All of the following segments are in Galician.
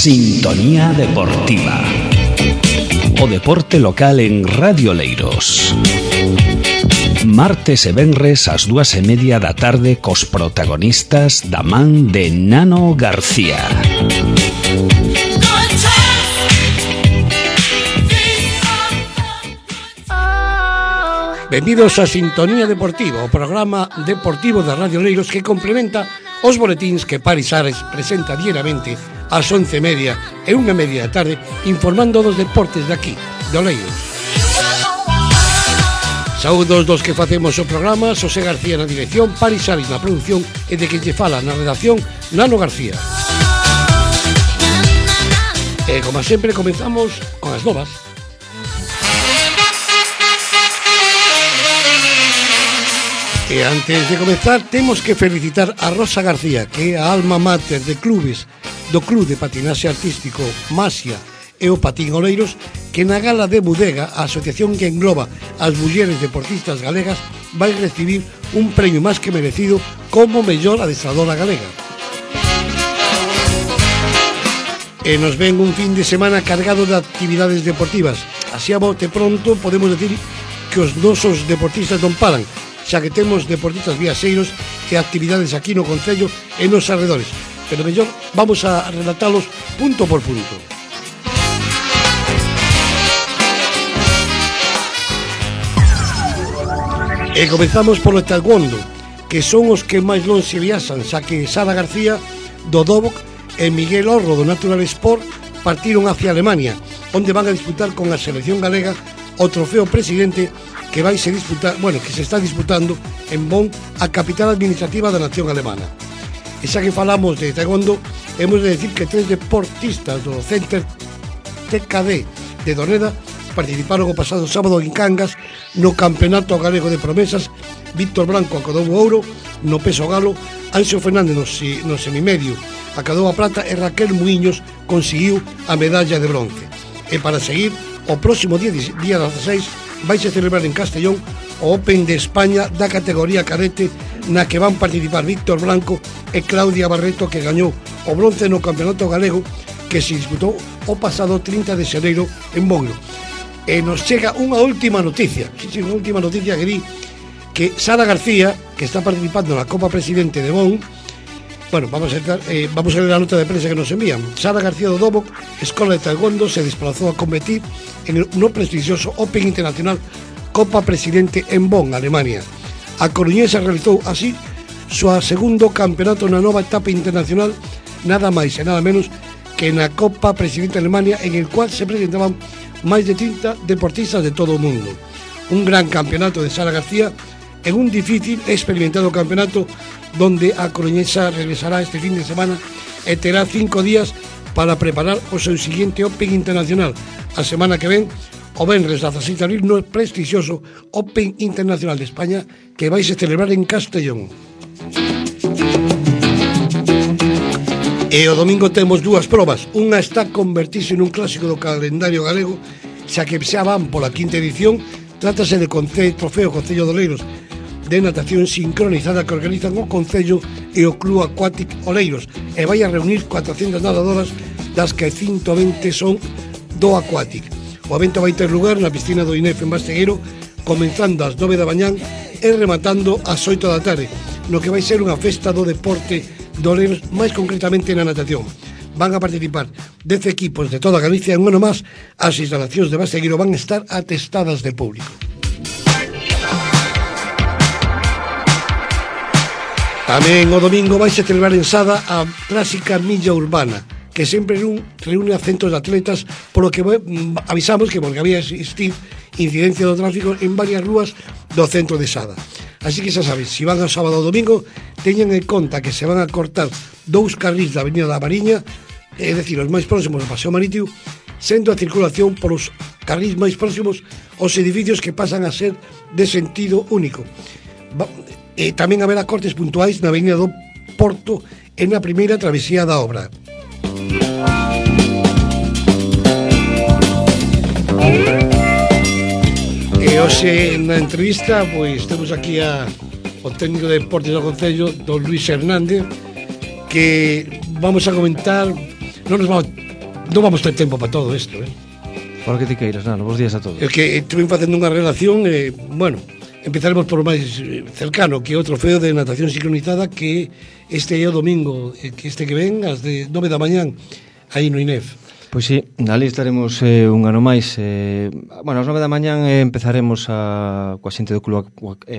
Sintonía Deportiva. O deporte local en Radio Oleiros. Martes e venres ás 2:30 da tarde cos protagonistas da man de Nano García. Benvidos a Sintonía Deportiva, o programa deportivo da Radio Oleiros que complementa os boletíns que Paris Ares presenta diariamente ás 11:30 e 1:30 da tarde, informando dos deportes de aquí, de Oleiros. Saúdos dos que facemos o programa, Xosé García na dirección, Paris Ares na produción e de que lle fala na redacción, Nano García. E como sempre comenzamos con as novas. E antes de comezar temos que felicitar a Rosa García, que é a alma mater de clubes do Club de Patinaxe Artístico Masia e o Patín Oleiros, que na gala de Budega, a asociación que engloba as mulleres deportistas galegas, vai recibir un premio máis que merecido como mellor adestradora galega. E nos ven un fin de semana cargado de actividades deportivas. Así a bote pronto podemos decir que os nosos deportistas non paran, xa que temos deportistas viaxeiros e actividades aquí no concello e nos arredores, pero mellor vamos a relatalos punto por punto. E comezamos polo taekwondo, que son os que máis longe viaxan, xa que Sara García do Dobok e Miguel Orro do Natural Sport partiron hacia Alemania, onde van a disputar con a selección galega o trofeo presidente que que se está disputando en Bonn, a capital administrativa da nación alemana. E xa que falamos de taekwondo, hemos de decir que 3 deportistas do Center TKD de Doneda participaron o pasado sábado en Cangas no Campeonato Galego de Promesas. Víctor Blanco acadou o ouro no peso galo, Anxo Fernández no semimedio acadou a prata e Raquel Muiños conseguiu a medalla de bronce. E para seguir, o próximo día 16 vai se celebrar en Castellón o Open de España da categoría cadete, na que van participar Víctor Blanco e Claudia Barreto, que gañou o bronce no Campeonato Galego que se disputou o pasado 30 de xaneiro en Boiro. E nos chega unha última noticia, que di que Sara García, que está participando na Copa Presidente de Bonn, vamos a ler a nota de prensa que nos envían. Sara García do Dobok, Escola de Taekwondo, se desplazou a competir en no prestigioso Open Internacional Copa Presidente en Bonn, Alemania. A coruñesa realizou así súa segundo campeonato na nova etapa internacional, nada máis e nada menos que na Copa Presidente Alemania, en el cual se presentaban máis de 30 deportistas de todo o mundo. Un gran campeonato de Sara García en un difícil e experimentado campeonato donde a coruñesa regresará este fin de semana e terá 5 días para preparar o seu seguinte Open Internacional a semana que ven, o venres 16 de abril, no prestigioso Open Internacional de España, que vai se celebrar en Castellón. E o domingo temos 2 probas. Unha está convertirse nun clásico do calendario galego, xa que xa van pola 5ª edición. Trátase de Trofeo Concello de Oleiros de natación sincronizada que organizan o Concello e o Club Aquatic Oleiros, e vai a reunir 400 nadadoras, das que 120 son do Aquatic. O evento vai ter lugar na piscina do INEF en Bastegueiro, comenzando ás 9 da mañán e rematando ás 8 da tarde, no que vai ser unha festa do deporte de Oleiros, máis concretamente na natación. Van a participar 10 equipos de toda Galicia, e un ano máis as instalacións de Bastegueiro van a estar atestadas de público. Tamén o domingo vai se celebrar en Sada a clásica milla urbana, que sempre reúne a centos de atletas, polo que avisamos que porque había existir incidencia do tráfico en varias rúas do centro de Sada. Así que xa sabes, se van a sábado ou domingo, teñan en conta que se van a cortar 2 carrís da Avenida da Mariña, é dicir, os máis próximos ao Paseo Marítimo, sendo a circulación por os carrís máis próximos aos edificios que pasan a ser de sentido único. E tamén haberá cortes puntuais na Avenida do Porto e na primeira travesía da obra. E hoxe na entrevista temos aquí o técnico de deportes do Concello, don Luis Hernández, que vamos a comentar, non nos vamos non vamos ter tempo para todo isto, Por que ti queiras, Nano, bons días a todos. É que estuve facendo unha relación, bueno, empezaremos por o máis cercano, que é o trofeo de natación sincronizada, que este é o domingo, que este que ven, ás de 9 da mañán, aí no INEF. Pois sí, ali estaremos un ano máis. Bueno, ás 9 da mañán empezaremos coa xente do Club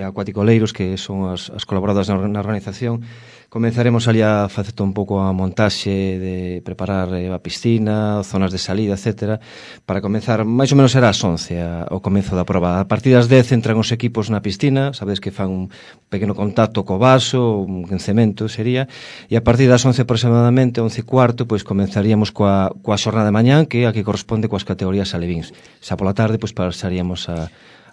Acuático Oleiros, que son as colaboradoras na organización. Comenzaremos ali a facer un pouco a montaxe de preparar a piscina, zonas de salida, etcétera, para comenzar, máis ou menos será ás 11 o comezo da prova. A partir das 10 entran os equipos na piscina, sabedes que fan un pequeno contacto co vaso, un quencemento sería, e a partir das 11 aproximadamente, 11:15, pois comenzaríamos coa xornada de mañán, que é a que corresponde coas categorías alevins. Xa pola tarde, pois pasaríamos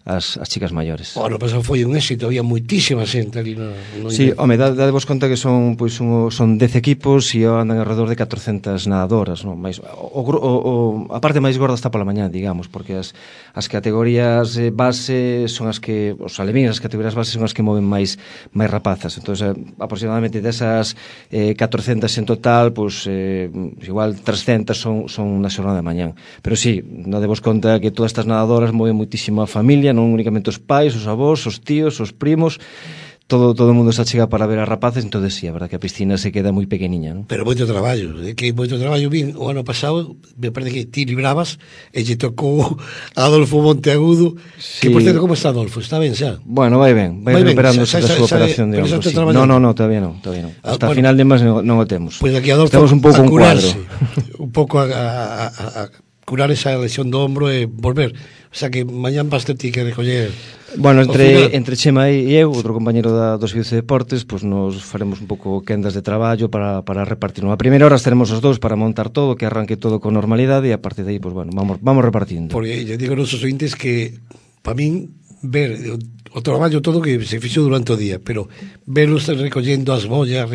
as chicas maiores. O ano pasado foi un éxito, había moitísima xente ali no Sí, home, dadevos conta que son 10 equipos e andan alrededor de 400 nadadoras, non? Mais, a parte máis gorda está pola mañá, digamos, porque as categorías base son as que, os alevins, as categorías base son as que moven máis rapazas. Entón, aproximadamente desas 400 en total, pois igual 300 son na xornada de mañán. Pero sí, dadevos conta que todas estas nadadoras moven moitísima familia, non únicamente os pais, os avós, os tíos, os primos, todo o mundo se achega para ver as rapaces. Entón, sí, a verdad que a piscina se queda moi pequeniña, non? Pero moito traballo, que moito traballo vin o ano pasado, me parece que ti librabas e lle tocou a Adolfo Monteagudo, sí. Que por certo, como está Adolfo? Está ben xa? Bueno, vai ben recuperándose da súa operación de ombro, sí. No, todavía non. Hasta bueno, final de mes non o temos. Pois aquí Adolfo estamos un pouco a curarse, un pouco a curar esa lesión do ombro e volver. O sea que mañán vas ter ti que recoller. Bueno, entre Chema e eu, outro compañero do Servicio de Deportes, pois nos faremos un pouco quendas de traballo para repartirnos. A primeira hora estaremos os dous para montar todo, que arranque todo con normalidade, e a partir de aí, pois bueno, vamos repartindo. Porque eu digo aos nosos ointes que para min ver o traballo todo que se fixo durante o día, pero verlos recollendo as bollas,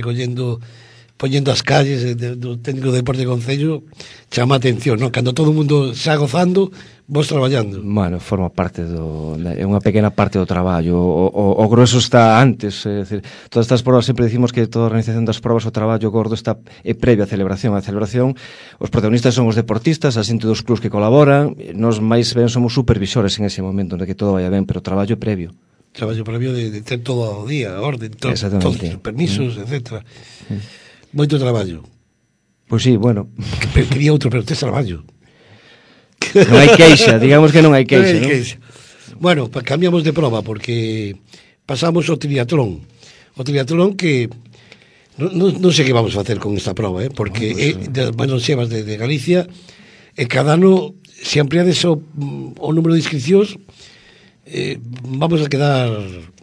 poñendo as calles do técnico de deporte de concello, chama a atención, non? Cando todo o mundo xa gozando, vos traballando. Bueno, forma parte é unha pequena parte do traballo. O grosso está antes, é dicir, todas estas provas sempre dicimos que toda a organización das provas, o traballo gordo está previo á celebración. A celebración, os protagonistas son os deportistas, a xente dos clubs que colaboran, nós máis ben somos supervisores en ese momento, onde que todo vaya ben, pero o traballo é previo. Traballo previo de ter todo o día, a orden, todos os permisos, etcétera. Moito traballo. Pois sí, bueno. Quería outro, pero tes traballo. Non hai queixa, digamos que non hai queixa, non? Bueno, cambiamos de prova porque pasamos ao triatlón. O triatlón que non sei que vamos a facer con esta prova, porque é das máis lonxevas de Galicia, e cada ano se ampliades o número de inscripcións, vamos a quedar...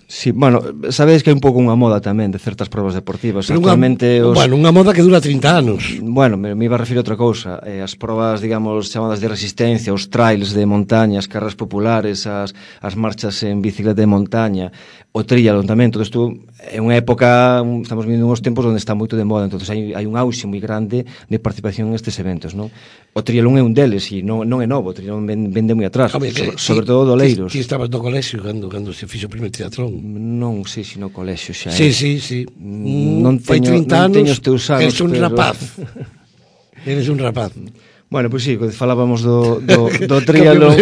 Sí, bueno, sabedes que hai un pouco unha moda tamén de certas provas deportivas. Actualmente bueno, unha moda que dura 30 anos. Bueno, me iba a referir a outra cousa. As provas, digamos, chamadas de resistencia, os trails de montaña, as carreras populares, as marchas en bicicleta de montaña, o triatlón tamén, todo isto é unha época, estamos vivindo uns tempos onde está moito de moda, entonces hai un auxe moi grande de participación nestes eventos, non? O triatlón é un deles e non é novo, o triatlón vende moi atrás, sobre todo do Oleiros. Ti estabas no colexio cando se fixo o primeiro triatlón. Non sei se no colexio xa. Sí. Non teño 30 anos. Eres un rapaz. Eres un rapaz. Bueno, pois sí, falábamos do triatlón.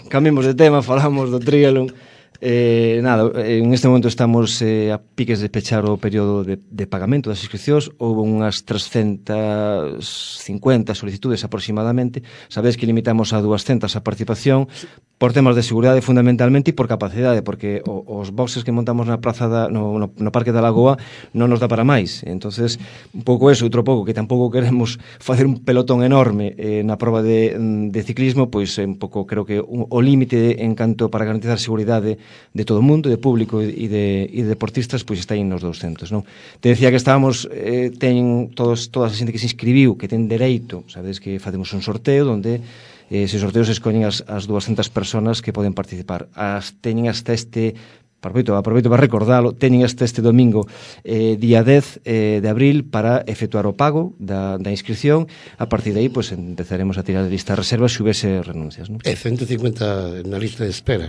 Cambiamos de tema, falamos do triatlón. Nada, en este momento estamos a piques de pechar o período de pagamento das inscripcións. Houve unhas 350 solicitudes aproximadamente. Sabedes que limitamos a 200 a participación por temas de seguridade fundamentalmente e por capacidade, porque os boxes que montamos na praza no Parque da Lagoa non nos dá para máis. Entonces, un pouco eso, outro pouco, que tampouco queremos facer un pelotón enorme na prova de ciclismo, pois un pouco creo que o límite en canto para garantizar seguridade de todo o mundo, de público e de deportistas, pois está aí nos 200, non? Te decía que estábamos, toda a xente que se inscribiu, que ten dereito, sabedes que facemos un sorteo onde se sorteos escollen as 200 personas que poden participar. Teñen hasta aproveito para recordalo, teñen hasta este domingo día 10 de abril para efectuar o pago da inscripción. A partir de aí, pois, empezaremos a tirar de lista de reservas se houvese renuncias, non? 150 na lista de espera.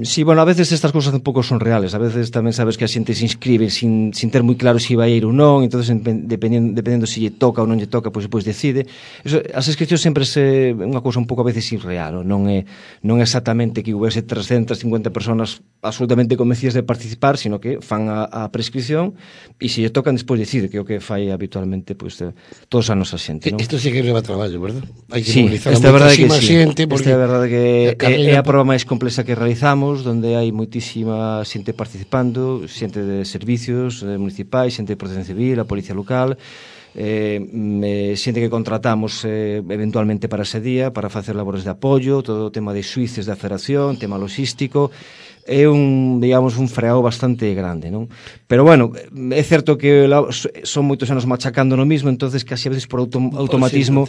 Sí, bueno, a veces estas cousas un pouco son reales. A veces tamén sabes que a xente se inscribe sin ter moi claro se vai ir ou non, entonces dependendo se lle toca ou non lle toca, pois decide. Eso, as inscripcións sempre é unha cousa un pouco a veces irreal, non é exactamente que houvese 350 personas absolutamente convencidas de participar, sino que fan a prescripción e se lle tocan despois decide, que é o que fai habitualmente pois todos a nosa xente, non? Isto sí que leva traballo, verdad? Hai que sí, mobilizar a moitísima xente, porque esta é a verdade que é a proba máis complexa que realizamos, donde hai moitísima xente participando, xente de servicios municipais, xente de protección civil, a policía local, xente que contratamos eventualmente para ese día, para facer labores de apoio, todo o tema de xuíces da federación, tema logístico. É un freao bastante grande, non? Pero bueno, é certo que son moitos anos machacando no mismo, entonces casi a veces por automatismo,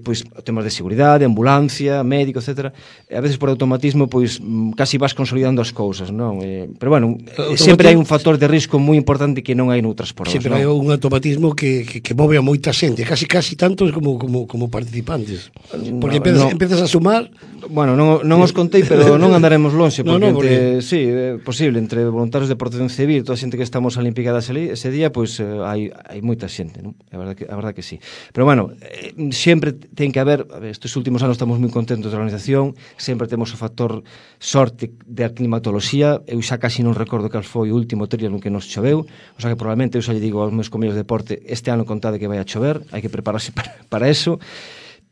pois temas de seguridade, ambulancia, médico, etcétera, a veces por automatismo pois casi vas consolidando as cousas, non? Pero bueno, sempre hai un factor de risco moi importante que non hai noutras probas. Sempre hai un automatismo que move a moita xente, casi tantos como participantes. Porque empezas a sumar. Bueno, non os contei, pero non andaremos lonxe, porque sí, é posible, entre voluntarios de protección civil, toda a xente que estamos olimpicadas ese día, pois hai moita xente, non? A verdade que sí. Pero bueno, sempre ten que haber, estes últimos anos estamos moi contentos da organización, sempre temos o factor sorte de climatoloxía, eu xa casi non recordo cal foi o último triatlón que nos choveu, o sea que probablemente eu xa lle digo aos meus compañeros de deporte, este ano contade que vai a chover, hai que prepararse para eso.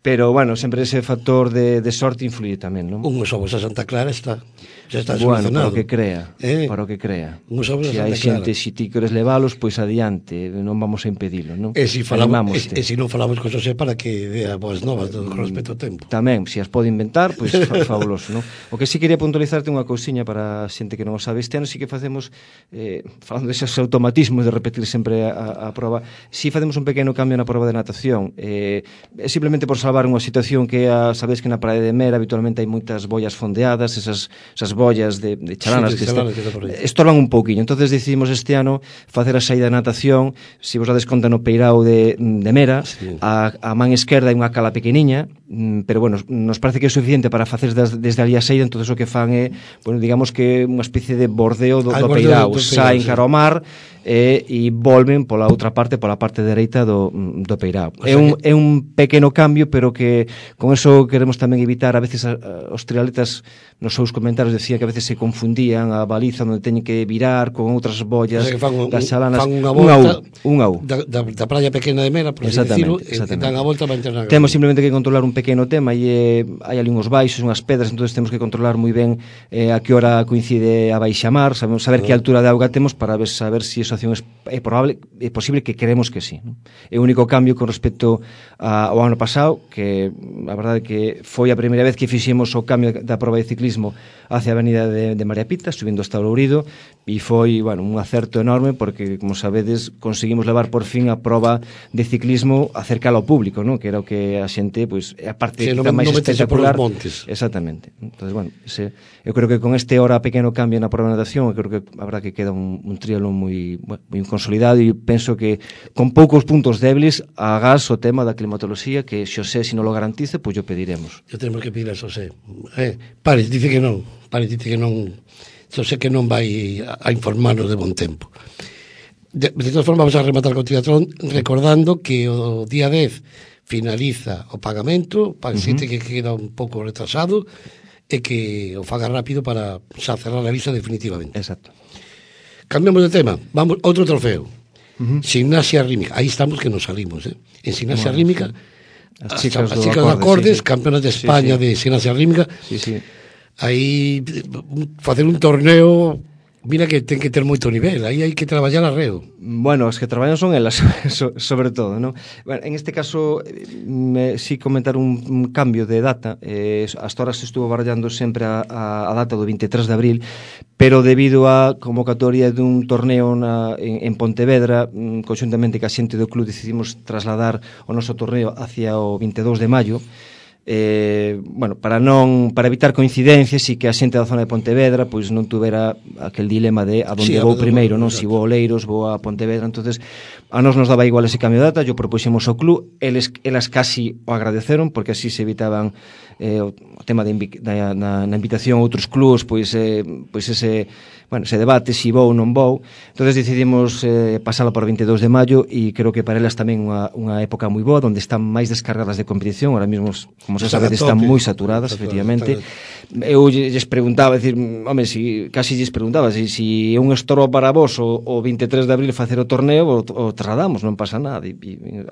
Pero, bueno, sempre ese factor de sorte influye tamén, non? Unhos ovos a Santa Clara já está solucionado. Bueno, para o que crea. Unhos ovos a Santa Clara. Se hai xente, se ti queres leválos, pois adiante, non vamos a impedilo, non? E se non falamos con Xosé para que dea boas novas con respecto ao tempo. Tamén, se as pode inventar, pois fabuloso, non? O que sí quería puntualizarte unha cousiña para a xente que non o sabe, este ano sí que facemos, falando deses automatismos de repetir sempre a prova, sí facemos un pequeno cambio na prova de natación, simplemente por salvar unha situación que sabedes que na Praia de Mera habitualmente hai moitas boias fondeadas, esas bollas de chalanas que estorban un pouquiño. Entonces decidimos este ano facer a saída de natación, se vos dades conta no Peirao de Mera, a man esquerda hai unha cala pequeniña, pero bueno, nos parece que é suficiente para facer desde ali a saída, entonces o que fan é, bueno, digamos que unha especie de bordeo do Peirao, saen cara ao mar e volven pola outra parte, pola parte dereita do Peirao. É un pequeno cambio, pero que con eso queremos tamén evitar, a veces os triatletas nos seus comentarios decían que a veces se confundían a baliza onde teñen que virar con outras bollas das chalanas, unha volta da praia pequena de Mera, por así decirlo, e dan a volta para entrar na temos simplemente que controlar un pequeno tema, e hai ali uns baixos, unhas pedras, entonces temos que controlar moi ben a que hora coincide a baixamar, saber que altura de auga temos para saber se esa opción é posible que queremos que sí, non? É o único cambio con respecto ao ano pasado, que a verdade que foi a primeira vez que fixemos o cambio da prova de ciclismo hacia a avenida de María Pita, subindo hasta o Lourido, e foi, bueno, un acerto enorme, porque, como sabedes, conseguimos levar por fin a prova de ciclismo a cercar ao público, non? Que era o que a xente, pois, a parte máis espectacular. Exactamente. Entonces, bueno, eu creo que con este hora pequeno cambio na prova de natación, eu creo que a verdade que queda un triatlón moi consolidado, e penso que con poucos puntos débiles agás o tema da climatoloxía, que Xosé, se non lo garantice, pois yo pediremos. Eu temos que pedir a Xosé. Párez dice que non. Xosé que non vai a informarnos de bon tempo. De todas formas, vamos a rematar con o triatlón recordando que o día 10 finaliza o pagamento para xente que queda un pouco retrasado, e que o faga rápido para xa cerrar a lista definitivamente. Exacto. Cambiamos de tema, vamos, outro trofeo. Gimnasia rítmica, aí estamos que nos salimos, en gimnasia rítmica, as chicas de acordes, campeonas de España de gimnasia rítmica. Aí facer un torneo, mira que ten que ter moito nivel, aí hai que traballar arreo. Bueno, as que traballan son elas, sobre todo, non? Bueno, en este caso, si comentar un cambio de data, hasta ahora se estuvo barallando sempre a data do 23 de abril, pero debido á convocatoria dun torneo en Pontevedra, conxuntamente ca xente do club decidimos trasladar o noso torneo hacia o 22 de maio, para evitar coincidencias e que a xente da zona de Pontevedra pois non tuvera aquel dilema de a donde vou primeiro, non? Se vou a Oleiros, vou a Pontevedra. Entonces a nos daba igual ese cambio de data, yo propuxemos ao club, elas casi o agradeceron, porque así se evitaban o tema na invitación a outros clubs, pois ese debate se vou ou non vou. Entonces decidimos pasala para o 22 de maio e creo que para elas tamén unha época moi boa, onde están máis descargadas de competición. Ahora mesmo, como se sabe, están moi saturadas, efectivamente. Eu lles preguntaba, casi lles preguntaba se é un estorbo para vos o 23 de abril facer o torneo, o trasladamos, non pasa nada, e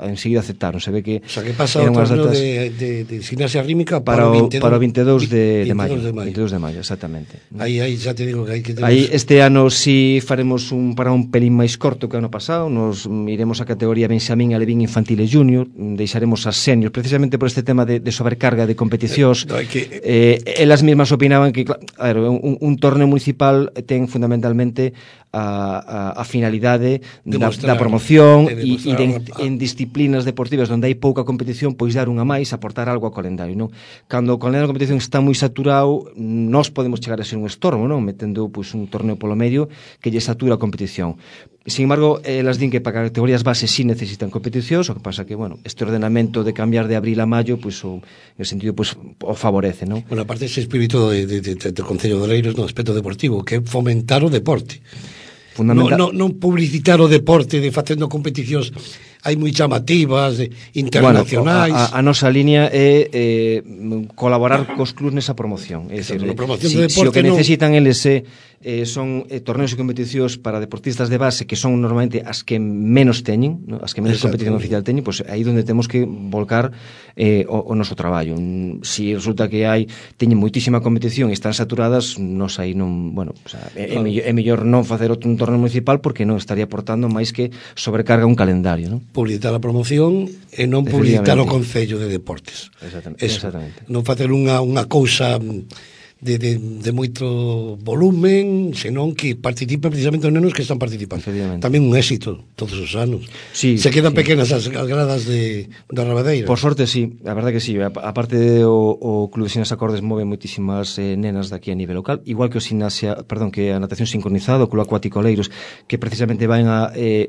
enseguida aceptaron. Se ve que pasa o torneo de gimnasia rítmica para o 22 de maio. 22 de maio, exactamente. Aí xa te digo que hai que ter... Este ano si faremos un pelín máis corto que o ano pasado. Nos iremos a categoría Benxamín, Alevín, Infantil e Júnior, deixaremos as senior, precisamente por este tema de sobrecarga de competicións. Elas mesmas opinaban que un torneo municipal ten fundamentalmente a finalidade da promoción e en disciplinas deportivas onde hai pouca competición, pois dar unha máis, aportar algo ao calendario, non? Cando o calendario de competición está moi saturado, nós podemos chegar a ser un estorbo, non? Metendo pois un torneo polo medio que lle satura a competición. Sin embargo, elas din que para categorías bases sí necesitan competicións, o que pasa que, este ordenamento de cambiar de abril a maio, pois en el sentido, pois o favorece, non? Bueno, aparte ese espírito do Concello de Oleiros no aspecto deportivo, que é fomentar o deporte. Non publicitar o deporte de facendo competicións hai moi chamativas, internacionais. A nosa línea é colaborar cos clubs nesa promoción. É dicir, se o que necesitan eles son torneos e competicións para deportistas de base, que son normalmente as que menos teñen, ¿no? As que menos competición oficial teñen, pois aí onde temos que volcar o noso traballo. Si resulta que teñen moitísima competición e están saturadas, nos aí non, é mellor non facer outro torneo municipal, porque non estaría aportando máis que sobrecarga un calendario, non? Publicitar a promoción e non publicitar o Concello de Deportes. Exactamente. Non facer unha cousa de moito volumen, senón que participen precisamente os nenos que están participando. Tamén un éxito todos os anos. Se quedan pequenas as gradas da Rabadeira. Por sorte, sí, a verdade que sí. Aparte o Club de Xinas Acordes move moitísimas nenas daqui a nivel local, igual que que a natación sincronizada, o Club Acuático Oleiros, que precisamente van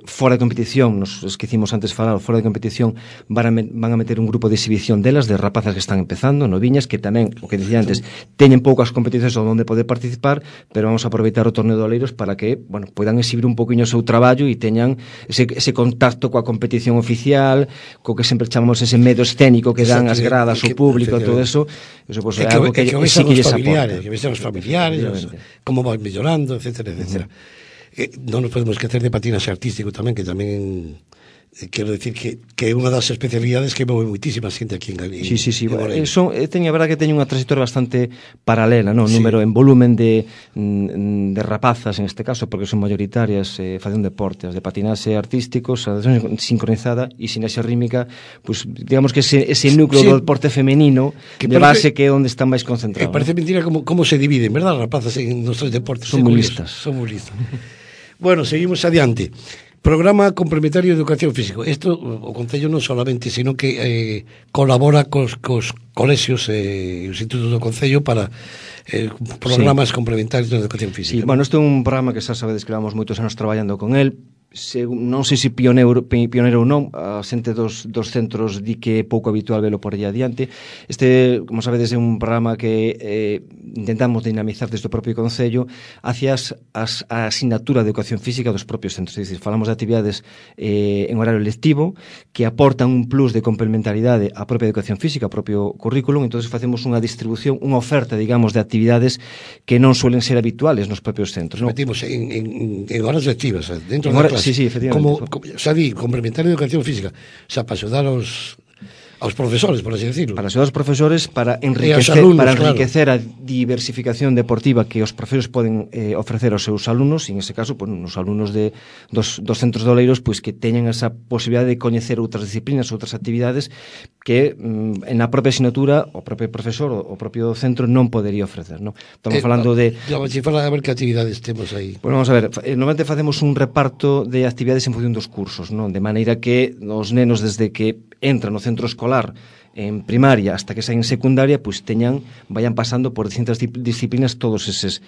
fora de competición, nos esquecimos antes falar, fora de competición van a meter un grupo de exhibición delas, de rapazas que están empezando, noviñas, que tamén, o que dicía antes, teñen poucas competicións onde poder participar, pero vamos a aproveitar o torneo de Oleiros para que, poidan exhibir un poquinho o seu traballo e teñan ese contacto coa competición oficial, co que sempre chamamos ese medo escénico que dan as gradas, o público, todo eso, é algo que sí que lles aporta. Que vexan os familiares, como van mellorando, etcétera. Non nos podemos esquecer de patinaxe artístico tamén, que tamén... quero decir que é unha das especialidades que move moitísima xente aquí en Galicia. Sí. Teño a verdade que teño unha trayectoria bastante paralela, non? Número en volumen de rapazas, en este caso, porque son mayoritarias facendo deporte, as de patinaxe artísticos, a natación sincronizada e ximnasia rítmica, pues digamos que ese núcleo do deporte femenino de base que é onde están máis concentrados. Parece mentira como se dividen, verdad, rapazas nos tres deportes. Son moi listas. Bueno, seguimos adiante. Programa complementario de educación física. Isto o Concello non solamente, sino que colabora cos colexios e institutos do Concello para programas complementarios de educación física. Isto é un programa que xa sabedes que levamos moitos anos traballando con el. Non sei se pioneiro ou non, a xente dos centros di que é pouco habitual velo por aí adiante. Como sabedes, é un programa que intentamos dinamizar desde o propio Concello hacia a asignatura de educación física dos propios centros. É dicir, falamos de actividades en horario lectivo que aportan un plus de complementaridade á propia educación física, ao propio currículum. Entón facemos unha distribución, unha oferta, digamos, de actividades que non suelen ser habituales nos propios centros. Metimos en horas lectivas, dentro da clase. Sí, efectivamente. Complementario de educación física, para axudar aos profesores, por así decirlo. Para axudar aos profesores, para enriquecer a diversificación deportiva que os profesores poden ofrecer aos seus alumnos, e en ese caso, os alumnos dos centros de Oleiros, pois que teñan esa posibilidade de coñecer outras disciplinas, outras actividades que na propia asignatura o propio profesor, o propio centro non podería ofrecer, non? Estamos falando de... Vamos a ver que actividades temos aí. Pois vamos a ver, normalmente facemos un reparto de actividades en función dos cursos, non? De maneira que os nenos, desde que entran no centro escolar, en primaria hasta que saen en secundaria, pois vayan pasando por distintas disciplinas todos eses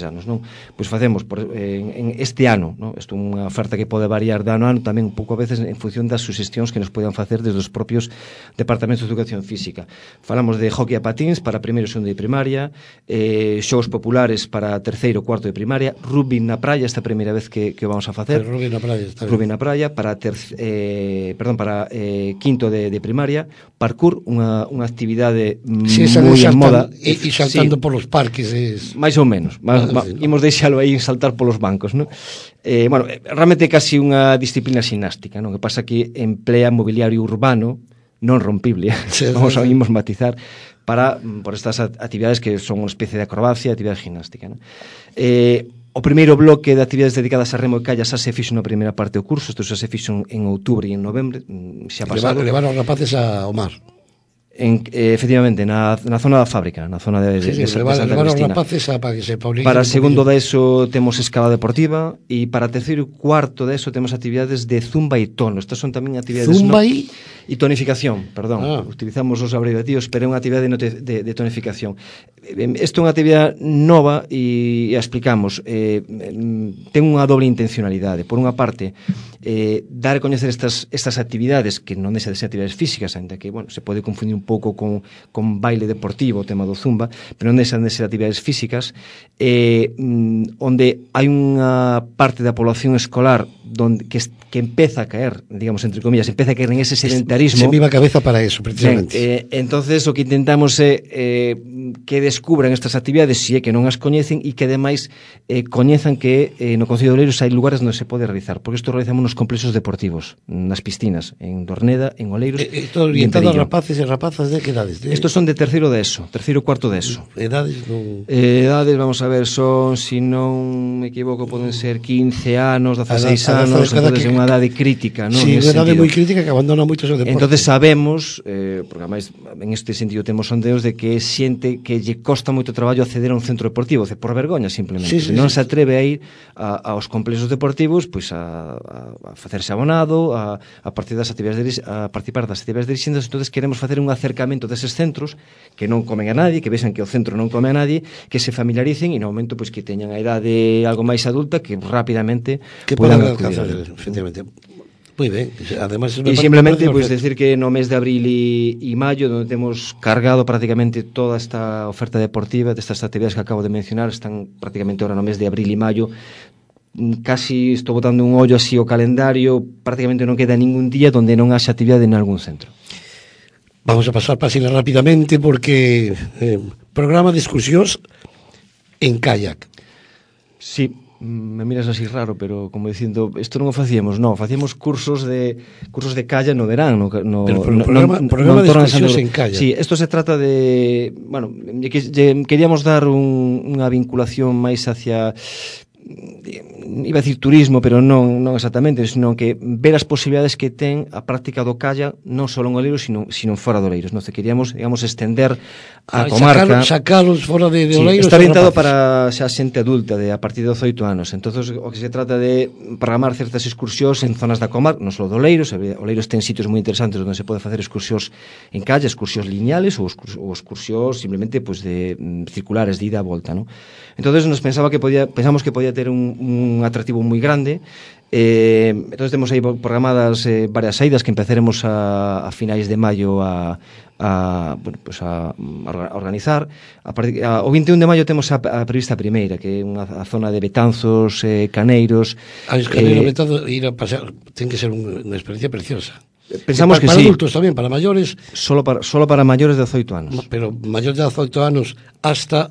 anos, non? Pois facemos en este ano, non? Isto é unha oferta que pode variar de ano a ano tamén un pouco a veces en función das suxestións que nos poden facer desde os propios departamentos de educación física. Falamos de hockey a patins para primeiro e segundo de primaria, xogos populares para terceiro e cuarto de primaria, rugby na praia, esta primeira vez que vamos a facer. Rugby na praia, está ben. Rugby na praia para quinto de primaria, parkour, unha actividade moi en moda. E saltando polos parques. Mais ou menos. Imos deixalo aí saltar polos bancos, non? Realmente é casi unha disciplina ximnástica, non? Que pasa que emplea mobiliario urbano non rompible, imos matizar, por estas actividades que son unha especie de acrobacia, actividade gimnástica, non? O primeiro bloque de actividades dedicadas a remo e calla xa se fixo na primeira parte do curso, isto xa se fixo en outubro e en novembro, xa pasado. Levaron os rapaces ao mar. Efectivamente, na zona da fábrica, na zona de Santa Cristina. Para segundo de eso temos escala deportiva e para terceiro e cuarto de eso temos actividades de zumba e tono. Estas son tamén actividades e tonificación, perdón. Utilizamos os abreviativos, pero é unha actividade de tonificación. Isto é unha actividade nova e a explicamos. Ten unha doble intencionalidade. Por unha parte, dar a coñecer estas actividades que non deixan de ser actividades físicas, ainda que, se pode confundir un pouco con baile deportivo, o tema do zumba, pero non deixan de ser actividades físicas, onde hai unha parte da población escolar que empeza a caer, digamos, entre comillas, empeza a caer en ese sedentarismo. Se viva a cabeza para eso, precisamente. Entonces, o que intentamos é que descubran estas actividades, se é que non as coñecen, e que, ademais, coñezan que no Concello de Oleiros hai lugares onde se pode realizar, porque isto realizamos nos complexos deportivos, nas piscinas, en Dorneda, en Oleiros. Isto orientado a rapaces e rapazas de que edades? Estos son de terceiro de ESO, terceiro e cuarto de ESO. Edades non... Edades, vamos a ver, son, se non me equivoco, poden ser 15 anos, 16 anos, entonces é unha edade crítica, non? Sí, unha edade moi crítica que abandona moito o seu deporte. Entonces sabemos, porque ademais en este sentido temos sondeos de que xente que lle costa moito traballo acceder a un centro deportivo, por vergoña simplemente. Non se atreve a ir aos complexos deportivos, pois a facerse abonado, a participar das actividades dirixendas. Entonces queremos facer un acercamento deses centros que non comen a nadie, que vexan que o centro non come a nadie, que se familiaricen e no momento pois que teñan a idade algo máis adulta que rapidamente podan alcanzar, efectivamente. Moi ben, además e simplemente pois decir que no mes de abril e maio, onde temos cargado prácticamente toda esta oferta deportiva destas actividades que acabo de mencionar, están prácticamente ahora no mes de abril e maio. Casi estou botando un ollo así ao calendario, prácticamente non queda ningún día donde non haxa actividade en algún centro. Vamos a pasar páxinas rapidamente porque programa de excursións en kayak. Sí, me miras así raro, pero como dicindo, isto non o facíamos, facíamos cursos de kayak no verán, programa de excursións en kayak. Sí, isto se trata de, queríamos dar unha vinculación máis hacia, iba a decir turismo, pero non exactamente, sino que ver as posibilidades que ten a práctica do kayak non só en Oleiros, sino fora de Oleiros. Queríamos, digamos, estender a comarca, sacalos fora de Oleiros. Está orientado para xa xente adulta de a partir de 18 anos. Entonces, o que se trata de programar certas excursións en zonas da comarca, non só de Oleiros. Oleiros ten sitios moi interesantes onde se pode facer excursións en kayak, excursións lineales ou excursións simplemente pues, de circulares de ida a volta, ¿no? Entonces pensamos que podía ter un atractivo moi grande. Entonces temos aí programadas varias saídas que empezaremos a finais de maio a organizar. O 21 de maio temos a prevista primeira, que é unha zona de Betanzos, Caneiros. Betanzos, ir a pasear, ten que ser unha experiencia preciosa. Pensamos que para sí. Adultos tamén, para maiores. Solo para maiores de 18 anos. Pero maiores de 18 anos hasta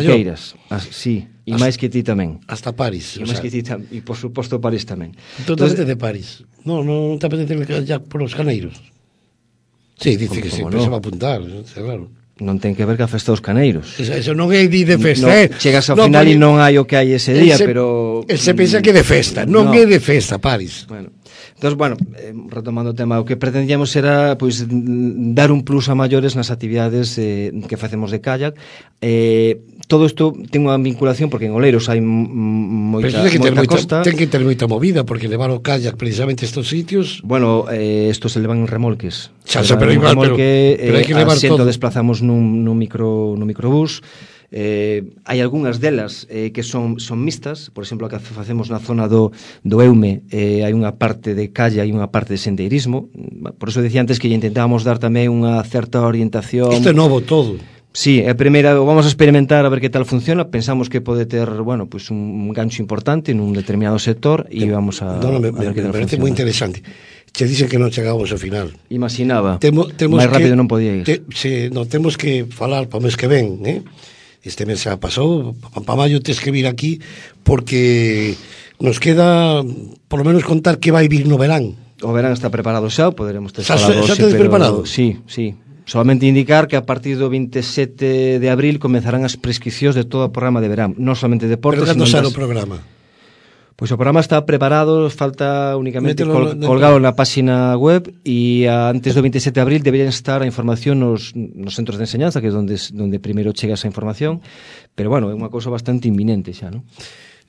Queiras. Sí, e máis que ti tamén. Hasta París. E máis que ti tamén, e por suposto París tamén. Entonces de París. Non te apetece ya por os Caneiros. Sí, dice que sí, se va a apuntar, claro. Non ten que ver ca festa dos Caneiros. Eso non é de festa, chegas ao final e non hai o que hai ese día, pero... El se pensa que é de festa, non é de festa, París. Entón, retomando o tema, o que pretendíamos era pois dar un plus a maiores nas actividades que facemos de kayak, todo isto ten unha vinculación porque en Oleiros hai moita costa. Ten que ter moita movida porque levar o kayak precisamente estes sitios. Bueno, estos se levan en remolques. Pero igual, pero hai que levar todo. Desplazamos nun microbús. Hai algunhas delas que son mixtas. Por exemplo, a que facemos na zona do Eume, hai unha parte de calla e unha parte de sendeirismo. Por eso decía antes que intentábamos dar tamén unha certa orientación. Isto é novo todo. Sí, a primeira vamos a experimentar a ver que tal funciona. Pensamos que pode ter, bueno, pues un gancho importante nun determinado sector e vamos a ver que tal funciona. Me parece moi interesante. Che dicen que non chegamos ao final. Imaginaba. Máis rápido non podíais. Temos que falar para o mes que ven, Este mes xa pasou, para maio tes que vir aquí porque nos queda por lo menos contar que vai vir no verán. O verán está preparado xa, poderemos ter falado. Xa tedes preparado? Sí. Solamente indicar que a partir do 27 de abril comenzarán as prescripcións de todo o programa de verán, non solamente deportes. Pero cando xa o programa? Pois o programa está preparado, falta únicamente colgado na página web e antes do 27 de abril deberían estar a información nos centros de enseñanza, que é donde primeiro chega esa información, pero bueno, é unha cousa bastante inminente xa, non?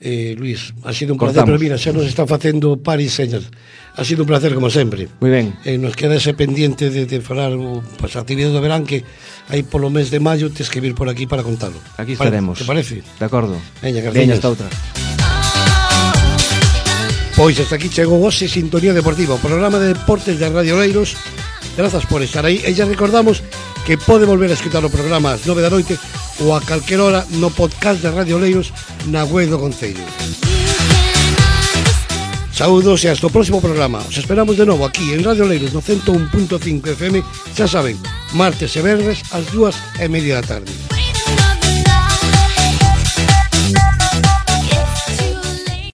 Luís, ha sido un placer, pero mira, xa nos está facendo par e señas. Ha sido un placer como sempre. Moi ben. Nos queda ese pendiente de falar as actividades do verán que hai polo mes de maio, tes que vir por aquí para contalo. Aquí estaremos. Te parece? De acordo. Veña, hasta outra. Pois hasta aquí chegou hoxe Sintonía Deportiva, o programa de deportes de Radio Oleiros. Grazas por estar aí. E xa recordamos que pode volver a escutar o programa ás 9 da noite ou a calquer hora no podcast de Radio Oleiros na web do Concello. Saúdos e hasta o próximo programa. Os esperamos de novo aquí en Radio Oleiros no 101.5 FM. Xa saben, martes e venres ás 2:30 da tarde.